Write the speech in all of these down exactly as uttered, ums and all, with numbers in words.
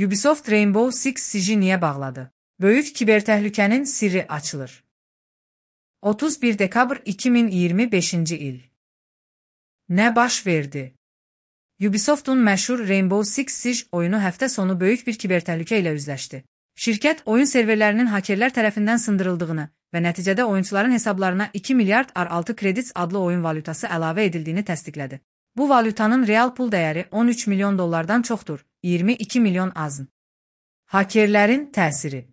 Ubisoft Rainbow Six Siege'i niyə bağladı? Böyük kibertəhlükənin sirri açılır. otuz bir dekabr iki min iyirmi beşinci il. Nə baş verdi? Ubisoft'un məşhur Rainbow Six Siege oyunu həftə sonu böyük bir kibertəhlükə ilə üzləşdi. Şirkət oyun serverlərinin hakerlər tərəfindən sındırıldığını və nəticədə oyunçuların hesablarına iki milyard R altı kredits adlı oyun valyutası əlavə edildiyini təsdiqlədi. Bu valyutanın real pul dəyəri on üç milyon dollardan çoxdur, iyirmi iki milyon azın. Hakerlərin təsiri.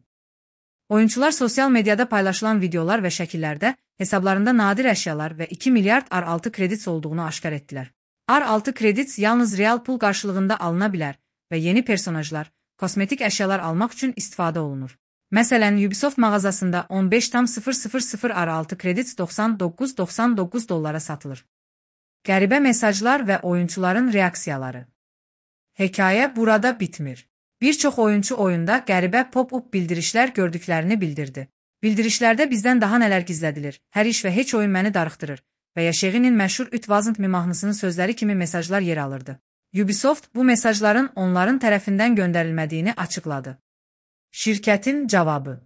Oyunçular sosial mediada paylaşılan videolar və şəkillərdə hesablarında nadir əşyalar və iki milyard R altı kredits olduğunu aşkar etdilər. R altı kredits yalnız real pul qarşılığında alına bilər və yeni personajlar, kosmetik əşyalar almaq üçün istifadə olunur. Məsələn, Ubisoft mağazasında on beş tam sıfır sıfır sıfır R altı kredits doxsan doqquz doxsan doqquz dollara satılır. Qəribə mesajlar və oyunçuların reaksiyaları. Hekayə burada bitmir. Bir çox oyunçu oyunda qəribə pop-up bildirişlər gördüklərini bildirdi. Bildirişlərdə bizdən daha nələr gizlədilir, hər iş və heç oyun məni darıxdırır və ya Şeğinin məşhur It Wasn't Me mahnısının sözləri kimi mesajlar yer alırdı. Ubisoft bu mesajların onların tərəfindən göndərilmədiyini açıqladı. Şirkətin cavabı.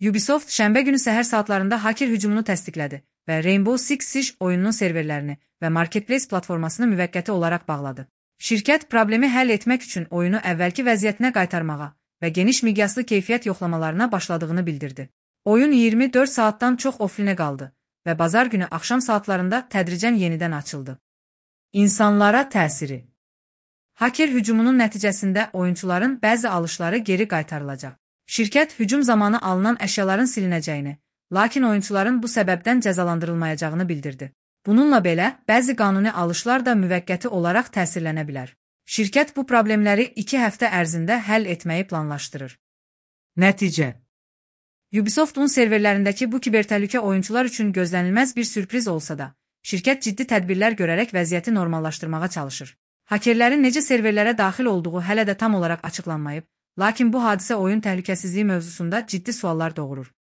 Ubisoft şənbə günü səhər saatlarında haker hücumunu təsdiqlədi və Rainbow Six Siege oyununun serverlərini və Marketplace platformasını müvəqqəti olaraq bağladı. Şirkət problemi həll etmək üçün oyunu əvvəlki vəziyyətinə qaytarmağa və geniş miqyaslı keyfiyyət yoxlamalarına başladığını bildirdi. Oyun iyirmi dörd saatdan çox offline qaldı və bazar günü axşam saatlarında tədricən yenidən açıldı. İnsanlara təsiri. Haker hücumunun nəticəsində oyunçuların bəzi alışları geri qaytarılacaq. Şirkət hücum zamanı alınan əşyaların silinəcəyini, lakin oyunçuların bu səbəbdən cəzalandırılmayacağını bildirdi. Bununla belə, bəzi qanuni alışlar da müvəqqəti olaraq təsirlənə bilər. Şirkət bu problemləri iki həftə ərzində həll etməyi planlaşdırır. Nəticə. Ubisoft'un serverlərindəki bu kibertəhlükə oyunçular üçün gözlənilməz bir sürpriz olsa da, şirkət ciddi tədbirlər görərək vəziyyəti normallaşdırmağa çalışır. Hakerlərin necə serverlərə daxil olduğu hələ də tam olaraq açıqlanmayıb, lakin bu hadisə oyun təhlükəsizliyi mövzusunda ciddi suallar doğurur.